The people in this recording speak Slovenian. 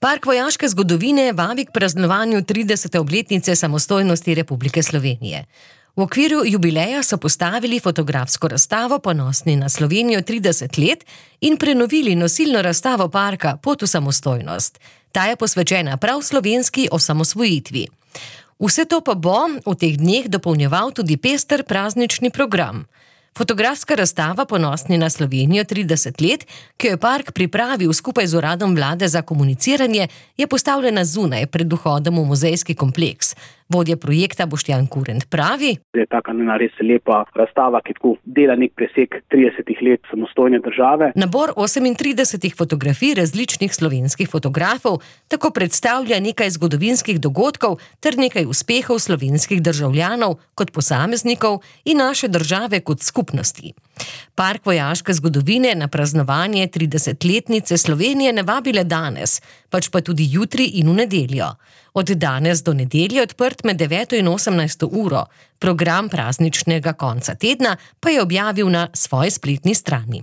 Park vojaške zgodovine vabi k praznovanju 30. obletnice samostojnosti Republike Slovenije. V okviru jubileja so postavili fotografsko razstavo Ponosni na Slovenijo 30 let in prenovili nosilno razstavo parka Pot v samostojnost. Ta je posvečena prav slovenski osamosvojitvi. Vse to pa bo v teh dneh dopolnjeval tudi pester praznični program. Fotografska razstava Ponosni na Slovenijo 30 let, ki jo je park pripravil skupaj z Uradom vlade za komuniciranje, je postavljena zunaj pred vhodom v muzejski kompleks. Vodja projekta Boštjan Kurent pravi: Je taka res lepa razstava, ki tako dela nek presek 30 let samostojne države. Nabor 38 fotografij različnih slovenskih fotografov tako predstavlja nekaj zgodovinskih dogodkov ter nekaj uspehov slovenskih državljanov kot posameznikov in naše države kot skupnosti. Park vojaške zgodovine na praznovanje 30-letnice Slovenije ne vabi le danes, pač pa tudi jutri in v nedeljo. Od danes do nedelje odprt med 9 in 18 uro. Program prazničnega konca tedna pa je objavil na svoji spletni strani.